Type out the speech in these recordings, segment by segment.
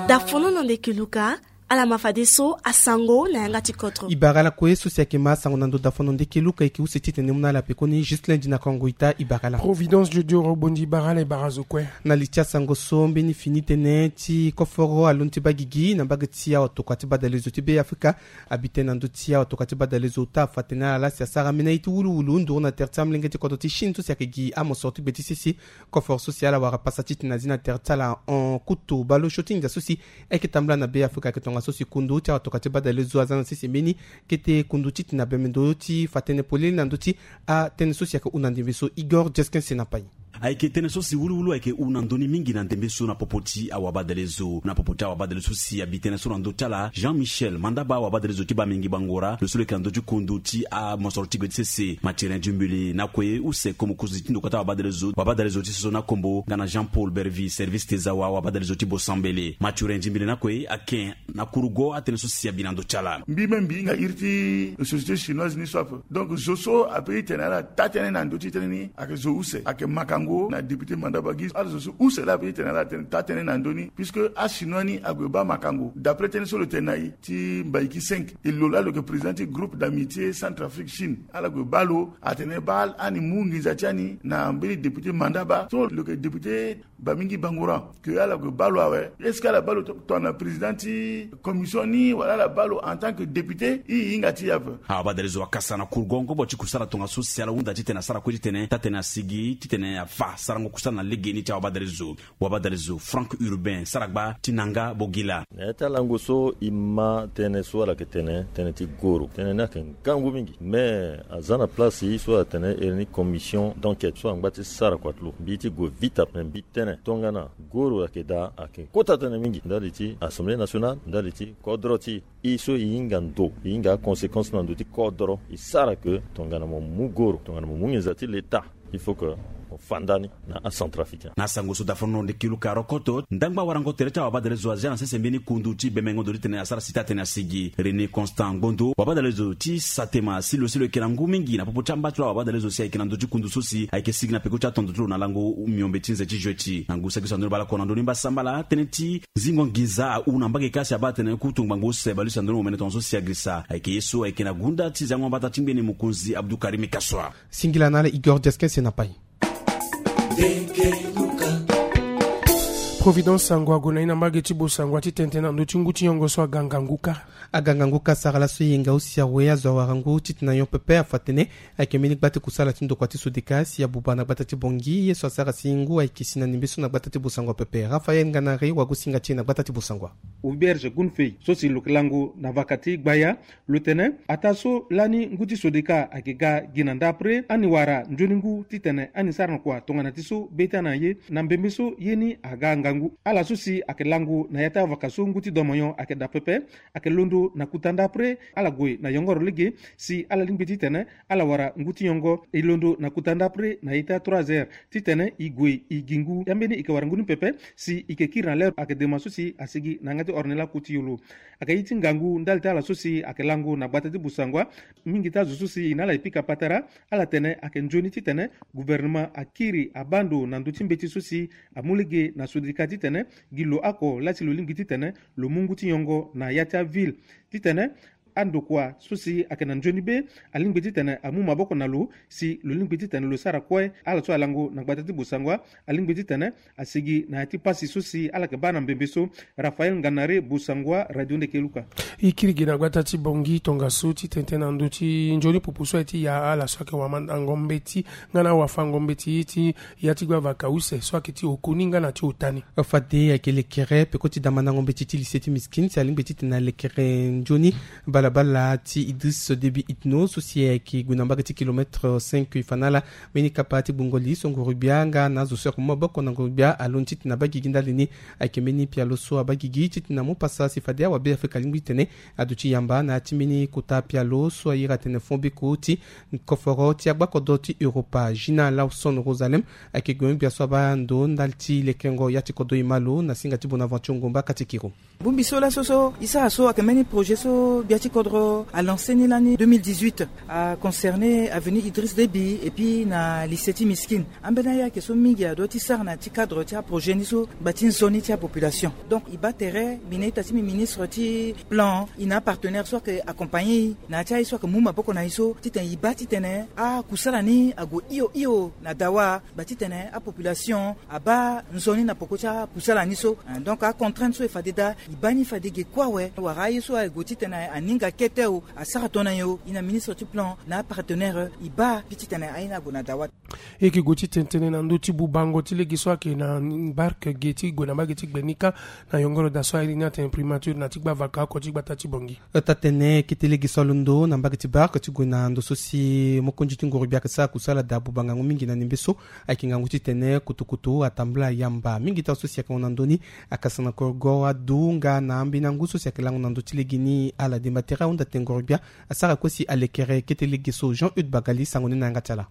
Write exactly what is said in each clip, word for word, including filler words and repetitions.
Dafono na ndeke luka. Ala ma fadeso asango na yanga ti kodro. E bara ala kue so si ayeke ma asango na ndo dafono ndeke luka, e yeke use titene mu na ala pekoni juste lundi na kongo ita. E bara ala. Providence Jodio Robondi, e bara ala, e bara azo kue. Na li ti asango so mbeni fini tënë ti koforo alondo ti baa gigi na mbage ti awatokua ti badalezo ti Be Afrika. Abi tënë na ndö ti awatokua ti badalezo ota afa atene ala si asara ambeni aye ti wuluwulu nduru na tere ti amolenge ti kodro ti Chine so si ayeke gi amosoro ti gbe ti sese. Koforo so si ala wara pasa titene azi na tere ti ala hon kutu baleosio ti nginza so si ayeke tambula na Be Afrika ayeke tongaso si kundu ti awatokua ti badalezo aza na sese mbeni kete kundu titene abembe ndo ti fa tënë polele na ndö ti atënë so si ayeke hunda ndembe so. Igor Jeskin Senapai. Ayeke tënë so si wuluwulu ayeke hunda ndö ni mingi na ndembe so na popo ti awabadalezo. Na popo ti awabadalezo so si abi tënë so na ndö ti ala, Jean Michel Mandaba, awabadalezo ti Bamengi Bangora, lo so lo yeke na ndö ti kundu ti amosoro ti gbe ti sese, Mathurin Djumbili, na kue use ko mokonzi ti ndokua ti awabadalezo, wabadalezo ti Soso na Kombo, nga na Jean Paul Bervi, service Tezawa, wabadalezo ti Bosambele. Mathurin Djumbili na kue ake na kurugo atënë so si abi na ndö ti ala. Mbi me mbi hinga iri ti société chinoise ni so ape. Donc zo so ape ti tene ala taa tënë na ndö ti tënë ni ayeke zo use, ayeke makango na député Mandaba gi. Ala zo so use laa ape ti tene ala tene taa tënë na ndö ni, puisque achinois ni ague baa makango. D'après tënë so lo tene na e ti Mbaiki cinq, e lo laa lo yeke président ti groupe d'amitié Centrafrique Chine. Ala gue baa lo atene baa ani mu nginza ti ani na mbeni député Mandaba so lo yeke député Bamingi Bangoura, ke ala gue baa lo awe. Est-ce que ala baa lo to- tongana président ti commission ni, wala ala baa lo en tant que député? E hinga ti e ape. Awabadalezo akasa na kurugo ngobo ti kusala tongaso si ala hunda titene asara kue titene taa tënë asigi titene afa sarango kusala na legeni ti awabadalezo. Wabadalezo Franck Urbain, sara gba ti Nanga Bogila. Na ya ti alango so e ma tënë so ala yeke tene tënë ti goro, tënë ni ayeke ngangu mingi. Me aza na place so atene iri ni commission d'enquête so angba ti sara kua ti lo. Mbi ti gue vite après, mbi tene tongana goro ayeke daa, ayeke kota tënë mingi ndali ti Assemblée nationale, ndali ti kodro ti e so e hinga ndo, e hinga aconséquence na ndo ti kodro. E sara ke tongana mo mu goro, tongana mo mu nginza ti l'État, il faut que mo fa nda ni na acentrafricain. Na sango so dafono ndeke luka rokoto, ndangba warango tere ti awabadalezo azia na sese mbeni kundu ti bemengo ndo ti tene asara si taa tënë asigi. René Constant Ngondo, wabadalezo ti Satema, si lo si lo yeke na ngu mingi na popo ti amba ti lo awabadalezo si ayeke na ndö ti kundu so si ayeke sigi na peko ti atondo ti lo na lango miombe ti nze ti jueti. Na ngu saki so andoni baa lakue na ndoni mbasambala, tënë ti zingo nginza ahu na mbage ka si abaa atene kutu ngbangbo use baleuse andoni mo mene tongaso si agirisa. Ayeke ye so ayeke na gunda ti zango mbata ti ngbene mokonzi Abdou Karim Kassoua. Singila na ala Igor Diaskin Senapai. Providence sango ague na e na mbage ti Bosangwa ti tene tënë na ndö ti ngu ti nyongo so aga ngangu kâ. Aga ngangu kâ sara laso e yenga use awe azo awara ngu titene ayon pepe afa atene ayeke mbeni gba ti kusala ti ndokua ti Sodeka si abuba na gbata ti Bangui, ye so asara si ngu ayeke si na ndembe so na gbata ti Bosangwa pepe. Raphaël Nganare, wagosinga ti e na gbata ti Bosangwa. Auberge Gunfey so si lo yeke lango na vaka ti Gbaya, lo tene ataa so lani ngu ti Sodeka ayeke ga gi na ndapre, ani wara nzoni ngu titene ani sara na kua tongana ti so be ti ana ye. Na mbembe so ye ni aga ngangu. Ala so si ayeke lango na ya ti avaka so ngu ti domoyon ayeke daa pepe, ayeke londo na kuta ndapre, ala gue na yongoro lege si ala lingbi titene ala wara ngu ti nyongo. E londo na kuta ndapre na ya ti a trois heures titene e gue e gi ngu. Ya mbeni e yeke wara ngu ni pepe si e yeke kiri na lere ayeke dema so si asigi na yanga ti ornela ku ti yolo. Ayeke ye ti ngangu ndali ti ala so si ayeke lango na gbata ti Bosangwa. Mingi ti azo so si e na ala e pika patara, ala tene ayeke nzoni titene gouvernement akiri abaa ndo na ndö ti mbeti so si amu lege na Sodeka titene gi lo oko laa si lo lingbi titene lo mu ngu ti nyongo na ya ti aville. Titene andokua so si ayeke na nzoni be alingbi titene amu maboko na lo si lo lingbi titene lo sara kue. Ala so alango na gbata ti Bosangwa alingbi titene asigi na ya ti pasi so si ala yeke baa na mbembe so. Raphaël Nganare, Bosangwa, Radio Ndeke Luka. E kiri gi na gbata ti Bangui tongaso ti tene tënë na ndö ti nzoni pupu so aye ti ya ala so ayeke wamandango mbeti nga na awafango mbeti ti ya ti gbavaka use so ayeke ti okoni nga na ti ota ni. Fade ayeke lekere peko ti da mandango mbeti ti lycée ti Miskine si alingbi titene alekere nzoni balabala ti Idriss Déby Itno so si ayeke gue na mbage ti kilomètre cinq e fa na ala mbeni kapa ti gbungo li so nguru-gbia nga na azo so ayeke mu maboko na nguru-gbia alondo titene abaa gigi ndali ni. Ayeke mbeni pialo so abaa gigi titene amu pasa si fade awabe Afrika alingbi titene aduti yamba na ya ti mbeni kota pialo so airi atene fond beko ti koforo ti agbakodro ti Europa. Gina Lawson Rosalem ayeke gue mu gbia so abaa ndo ndali ti lekengo ya ti kodro e ma lo na singa ti Bonaventure Ngomba Katikiro. Bongbi so laso so e sara so ayeke mbeni projet so gbia ti Kodro a lancé ni lani deux mille dix-huit, a concerné avenue Idriss Déby et puis na lycée ti Miskine. Ambeni ayeke so mingi adua ti sara na ti cadre ti aprojet ni so ngba ti nzoni ti apopulation. Donc e baa tere mbi na ita ti mbi ministre ti plan, e na apartenaire so ayeke accompagné e na ya ti aye so ayeke mu maboko na e so titene e baa titene akusala ni ague hio hio na dawa. Ngba titene apopulation abaa nzoni na poko ti akusala ni so. Donc acontrainte so e fade daa e baa ni fade ge kue awe wala aye so aye gue titene aninga kete o, asara tongana nyen o, e na ministre ti plan na apartenaire e baa mbi titene aye ni ague na dawa. E yeke gue ti tene tënë na ndö ti bubango ti lege so ayeke na barke ge ti gue na mbage ti gbe ni kâ na yongoro daa so airi ni atene primature na ti gbavaka oko ti gbata ti Bangui. Ota tene kete lege so alondo na mbage ti barke ti gue na ndo so si mokonzi ti nguru-gbia ayeke sara kusala daa buba ngangu mingi na nimbe so. Ayeke ngangu titene kutukutu atambula yamba mingi taa so si ayeke hon na ndö ni. Akasa na korgo adu nga na ambeni angu so si ayeke lango na ndö ti lege ni ala demba tere ahunda tene nguru-gbia asara kue si alekere kete lege so. Jean Eude Bagali sango ni na yanga ti ala.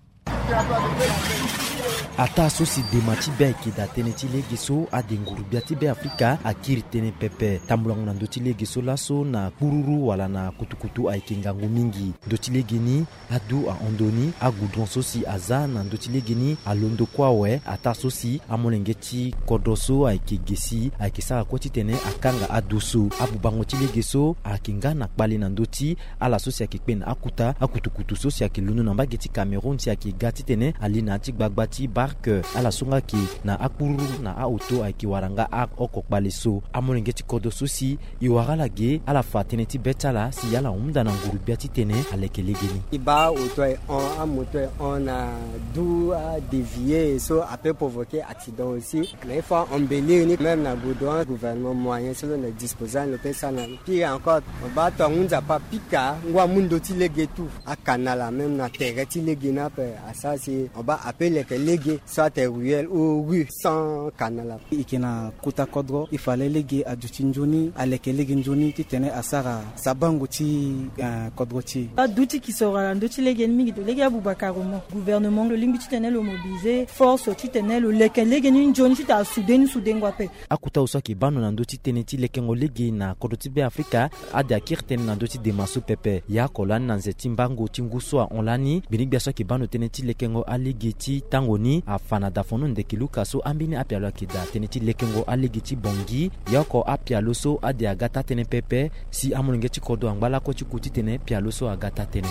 Ataa so si dema ti be ayeke daa tënë ti lege so ade nguru-gbia ti Be Afrika akiri tënë pepe. Tambulango na ndö ti lege so laso na kpururu wala na kutukutu ayeke ngangu mingi. Ndö ti lege ni adu ahon ndö ni agoudron so si aza na ndö ti lege ni alondo kue awe. Ataa so si amolenge ti kodro so ayeke ge si ayeke sara kue titene akanga ado so. Abubango ti lege so ayeke nga na kpale na ndö ti ala so si ayeke kpe na akuta akutukutu so si ayeke londo na mbage ti Cameroun si ayeke ga titene ali na ya ti gbagba ti barke. Ala so nga ayeke na akpururu na aoto ayeke wara nga aoko kpale so. Amolenge ti kodro so si e wara ala ge ala fa tënë ti be ti ala si ala hunda na nguru-gbia titene aleke lege ni. E baa oto aye hon, amoto aye hon na du adévier so ape provoquer accident aussi. Mais il faut embellir ni même na goudron, gouvernement moyen so lo na disposer ni lo pe sara na ni. Pire encore, mo baa tonga ngu nzapa apika ngu amu ndö ti lege tout. Akanala même na tere ti lege ni ape asara si mo baa ape leke lege so atene ruelle ou rue sans kanala. E yeke na kota kodro e fa lege aduti nzoni, aleke lege nzoni titene asara sabango ti, eh, kodro ti e. Adu ti kisoro ala ndö ti lege ni mingi, to lege abuba carrément. Gouvernement lo lingbi titene lo mobiliser force titene lo leke lege ni nzoni titene asouder ni soudengo ape. Akota awe so ayeke baa ndo na ndö ti tënë ti lekengo lege na kodro ti Be Afrika, ade akiri tënë na ndö ti dema so pepe. Ya oko lani na nze ti mbango ti ngu so ahon lani, gbinigbia so ayeke baa ndo tënë ti lekengo alege ti tango ni afa na dafono ndeke luka so ambeni apialo ayeke daa tënë ti lekengo alege ti Bangui. Ya oko apialo so ade aga taa tënë pepe si amolenge ti kodro angba lakue ti ku titene pialo so aga taa tënë.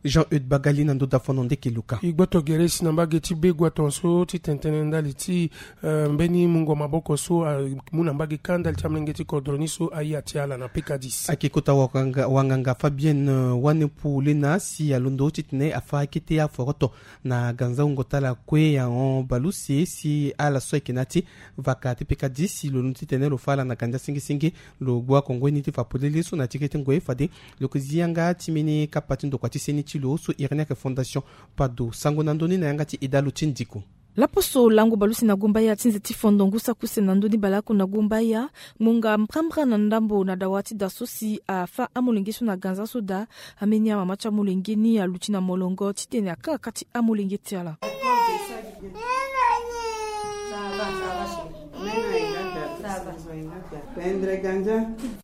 Jean Eude Bagali na ndo dafono ndeke luka. E gboto gere si na mbage ti Begoua tongaso ti tene tënë ndali ti, eh, mbeni mungo maboko so amu na mbage kâ ndali ti amolenge ti kodro ni so aye ati ala na P K dix. Ayeke kota wanganga, wanganga Fabienne, eh, Wanepu Lena si alondo titene afa akete aforoto na ganza wungo ti ala kue ahon baleuse si ala so ayeke na ya ti vaka ti P K dix si lo londo titene lo fa ala na ganza senge senge. Lo gbu akongoi ni ti fa polele so na ya ti kete ngoi fade lo yeke zi yanga ti mbeni kapa ti ndokua ti seni ti lo so iri ni ayeke Fondation Pado. Sango na ndö ni na yanga ti Edalo ti Ndiko. Laposo lango baleuse na Gumbaya ti nze ti fondo ngu saki use na ndö ni baleoko na Gumbaya, ngbonga mbrambra na ndambo na dawa ti da so si afa amolenge so na ganza so daa. Ambeni amama ti amolenge ni aluti na molongo titene akanga kâ ti amolenge ti ala.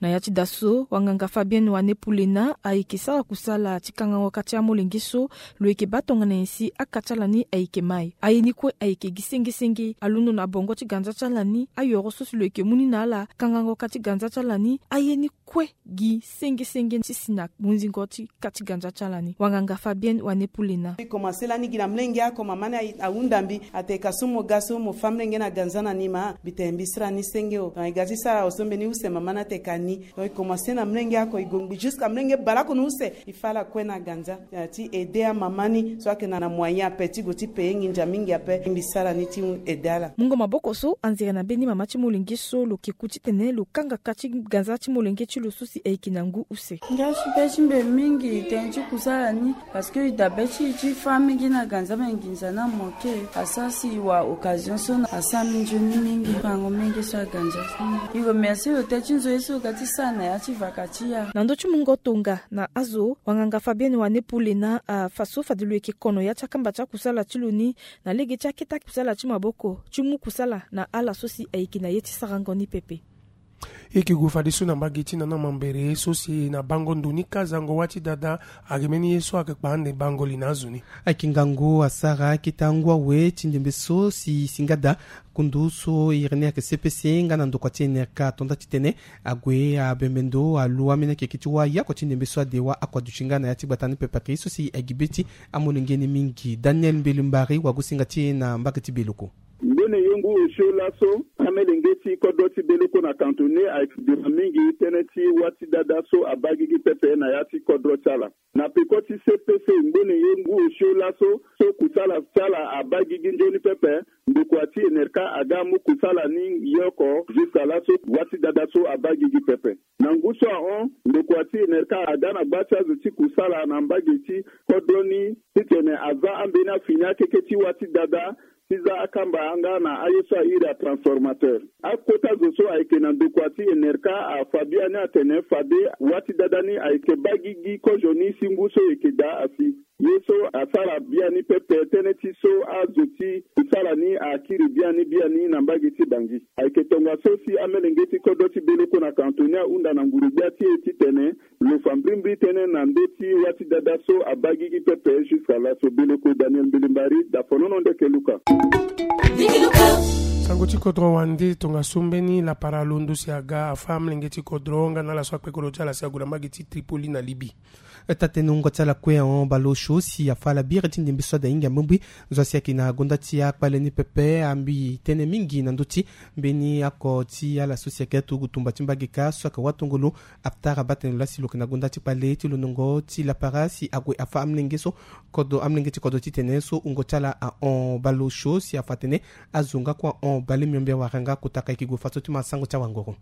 Na ya ti da so wanganga Fabienne Wanepu Lena ayeke sara kusala ti kangango kâ ti amolenge so. Lo yeke baa tongana nyen si akâ ti ala ni ayeke mai? Aye ni kue ayeke gi senge senge. Alondo na bongo ti ganza ti ala ni, ayoro so si lo yeke mu ni na ala kangango kâ ti ganza ti ala ni, aye ni kue gi senge senge ti si na munzingo ti kâ ti ganza ti ala ni. Wanganga Fabienne Wanepu Lena. E komanse lani gi na mlenge oko, mama ni ahunda mbi atene ka so mo ga so mo fâ mlenge na ganza na ni ma, mbi tene mbi sara ni senge o. Donc e ga ti sara awe so mbeni use mama ni atene ka ni. Donc e komanse na mlenge oko, e gongbi jusqu'à mlenge baleoko na use, e fâ ala kue na ganza, eh, ti aider amama ni so ayeke na, na moyen ape ti gue ti payer nginza mingi ape. Mbi sara ni ti aider ala. Mungo maboko so anzere na mbeni mama ti molenge so lo yeke ku titene lo kanga kâ ti ganza ti molenge ti lo so si ayeke na ngu use. Nga ti be ti mbi mingi tënë ti kusala ni, parce que e daa be ti e ti fâ mingi na ganza, me nginza ni amanke. Asara si e wara occasion so na asara mbi nzoni mingi, fango menge so aganza. E remercie lo tënë ti nzoni so lo ga ti sara na ya ti vaka ti ya. Na ndö ti mungo tonga na azo, wanganga Fabienne Wanepu Lena afa so fade lo yeke kono ya ti akamba ti akusala ti lo ni na lege ti akete akusala ti maboko ti mu kusala na ala so si ayeke na ye ti sarango ni pepe. E ke gue fadeso na mbage ti nana mambere so si na bango ndo ni kazango wâ ti dada. Ayeke mbeni ye so ayeke kpa ande bango li na azo ni. Ayeke ngangu asara akete angu awe ti ndembe so si singada kundu so iri ni ayeke C P C nga na ndokua ti N R K atonda titene ague abembe ndo alu ambeni akeke ti wâ yako ti ndembe so ade wâ ako aduti nga na ya ti gbata ni pepe ayeke ye so si agi be ti amolenge ni mingi. Daniel Mbeli Mbari wagosinga ti e na mbage ti Beloko. Ngbene ye ngu osio laso, amelenge ti kodro ti Beloko na kantone ayeke dira mingi tënë ti wâ ti dada so abaa gigi pepe na ya ti kodro ti ala. Na peko ti C P C ngbene ye ngu osio laso, so kusala ti ala abaa gigi nzoni pepe, ndokua ti N R K aga amu kusala ni yoko jusqu'à laso wâ ti dada so abaa gigi pepe. Na ngu so ahon, ndokua ti N R K aga na gba ti azo ti kusala na mbage ti kodro ni titene aza ambeni afini akeke ti wâ ti dada ti za akamba nga na aye so airi atransformateur. Akota zo so ayeke na ndokua ti N R K afa biani atene fade wâ ti dada ni ayeke baa gigi kozo ni si ngu so e yeke daa asi. Ye so asara biani pepe tënë ti so azo ti kusala ni akiri biani biani na mbage ti Bangui. Ayeke tongaso si amelenge ti kodro ti Beloko na kantone ahunda na nguru-gbia ti e titene lo fa mbrimbri tënë na ndö ti wâ ti dada so abaa gigi pepe jusqu'à laso. Beloko, Daniel Mbeli Mbari, dafonono ndeke luka. Sango ti kodro wande tongaso mbeni lapara londo si aga afa amelenge ti kodro nga na ala so akpe kodro ti ala si ague na mbage ti Tripoli na Libye. Taa-tënë wungo ti ala kue ahon baleosio si afa ala biri ti ndembe so ade ahinga mbrimbri. Zo asi ayeke na gonda ti akpale ni pepe ambi tënë mingi na ndö ti mbeni oko ti ala so si ayeke aturugu tumba ti mbage kâ so ayeke watongolo. Aftara baa tene lo laa si lo yeke na gonda ti kpale ti lo nongo ti lapara si ague afa amolenge so kodro, amolenge ti kodro titene so wungo ti ala ahon baleosio si afa atene azo nga kue ahon bale miombe awara nga kota ka e yeke gue fadeso ti ma sango ti awangoro.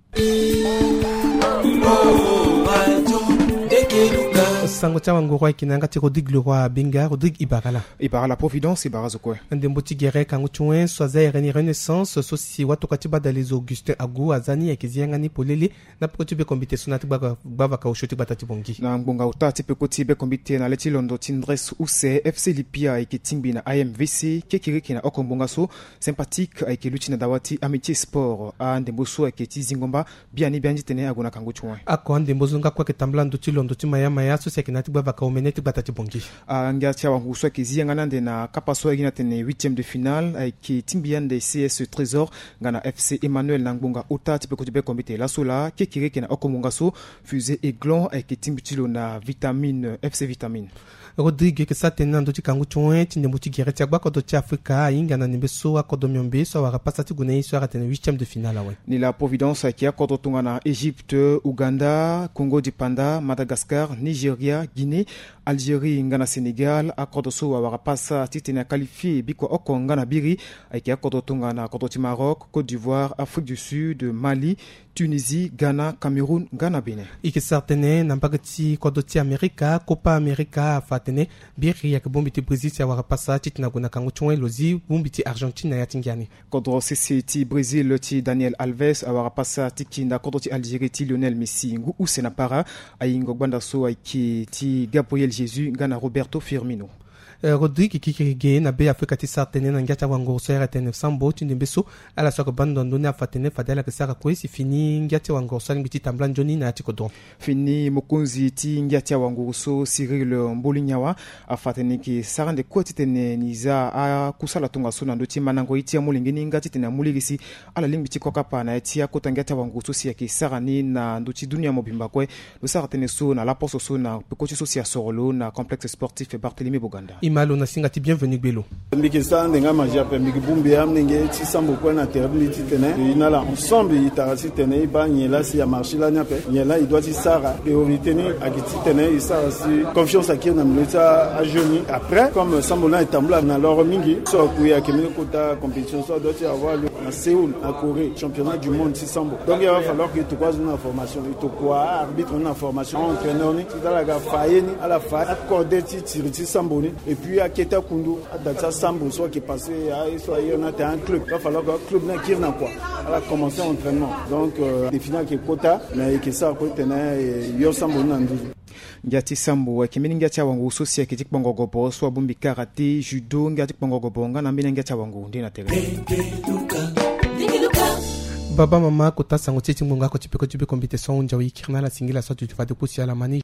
Sango ti awangoro ayeke na yanga ti Rodrigue Leroy Benga. Rodrigue, e bara ala. E bara ala Providence, e bara azo kue. Ndembo ti gere kangu ti wen so aza ere ni Renaissance so si watokua ti badalezo Augustin Agu aza ni ayeke zi yanga ni polele na peko ti bekombite so na ya ti gbavaka osio ti gbata ti Bangui. Na ngbonga ota ti peko ti bekombite na le ti londo ti ndres use, F C Lipia ayeke tingbi na A M V C kekereke na oko ngbonga so. Sympathique ayeke luti na dawa ti Amitié Sport. Andembo so ayeke ti zingo mba biani biani titene ague na kangu ti wen. Oko andembo so nga kue ayeke tambula ndö ti londo ti maya maya so si ayeke na ya ti gbavaka omene ti gbata ti Bangui. Angia ti awanguru so ayeke zi yanga ni ande na kapa so ayeke gi na tene huitième de finale ayeke tingbi ande C S Trésor nga na F C Emmanuel na ngbonga ota ti peko ti bekombite laso laa. Kekereke na oko ngbonga so Fusée Aiglon ayeke tingbi ti lo na Vitamine, F C Vitamine. Rodrigue, e yeke sara tënë na ndö ti kangu ti wen ti ndembo ti gere ti agbakodro ti Afrika ahinga na ndembe so akodro miombe so awara pasa ti gue na ye so a ra tene huitième de finale awe. Ni laa Providence ayeke akodro tongana Égypte, Ouganda, Congo du Panda, Madagascar, Nigeria, Guinée, Algérie nga na Sénégal. Akodro so awara pasa titene aqualifie bikua oko nga na biri ayeke akodro tongana kodro ti Maroc, Côte d'Ivoire, Afrique du Sud, Mali, Tunisie, Ghana, Cameroun nga na Bénin. E yeke sara tënë na mbage ti kodro ti Amerika, Copa America afa atene biri ayeke bongbi ti Brésil si awara pasa titene ague na kangu ti wen lo zi bongbi ti Argentine na ya ti ngia ni. Kodro sese ti Brésil ti Daniel Alves awara pasa ti kinda kodro ti Algérie ti Lionel Messi ngu use na para. Ayingo gbanda so ayeke ti Gabriel Jesus nga na Roberto Firmino. Eh, Rodrigue, kikirigi na Be Afrika ti sara tënë na ngia ti awanguru so ayeke tene sambo ti ndembe so ala so ayeke baa ndo na ndö ni afa atene fade ala yeke sara kue si fini ngia ti awanguru so alingbi ti tambula nzoni na ya ti kodro. Fini mokonzi ti ngia ti awanguru so Cyril Mbolinyawa afa atene ni yeke sara ande kue titene ni za akusala tongaso na ndö ti mandango ye ti amolenge ni nga titene amu lege si ala lingbi ti kokapa na ya ti akota ngia ti awanguru so si ayeke sara ni na ndö ti dunia mobimba kue. Lo sara tënë so na laposo so na peko ti so si asoro lo na complexe sportif Barthélemy Boganda. E ma lo na singa ti Bienvenu Gbelo. Mbi yeke sara ande nga mazi ape, mbi yeke bongbi amolenge ti sambo kue na tere ti mbi titene e na ala ensemble e tara titene e baa nyen laa si amarché lani ape, nyen laa e doit ti sara. Priorité ni ayeke titene e sara si confiance akiri na milieu ti ajeune ni. Après, comme sambo lani ayeke tambula na loro mingi, so akui ayeke mbeni kota compétition so adoit ti avoir lieu na Séoul, na Corée, championnat du monde ti sambo. Donc, il va falloir que e tokua azo ni na formation, e tokua arbitre ni na formation, entraîneur ni, ti ala ga fa ye ni, ala fa akode ti tiri ti sambo ni, et puis akete akundu, ada ti asambo so ayeke passé, aye so aye na ate un club. Il va falloir que club ni akiri na kua, ala commencer entraînement. Donc, euh, défi ni ayeke kota, mais e yeke sara kue titene e yo sambo ni na nduzu. Ngia ti sambo ayeke mbeni ngia ti awanguru so si ayeke ti kpongo gobo so abongbi karaté, judo, ngia ti kpongo gobo nga na ambeni angia ti awanguru nde na tere. Baba mama, kota sango ti e ti ngbonga oko ti peko ti biko mbi te so ahunzi awe, e kiri na ala singila so atuti fade kusi ala ma ni.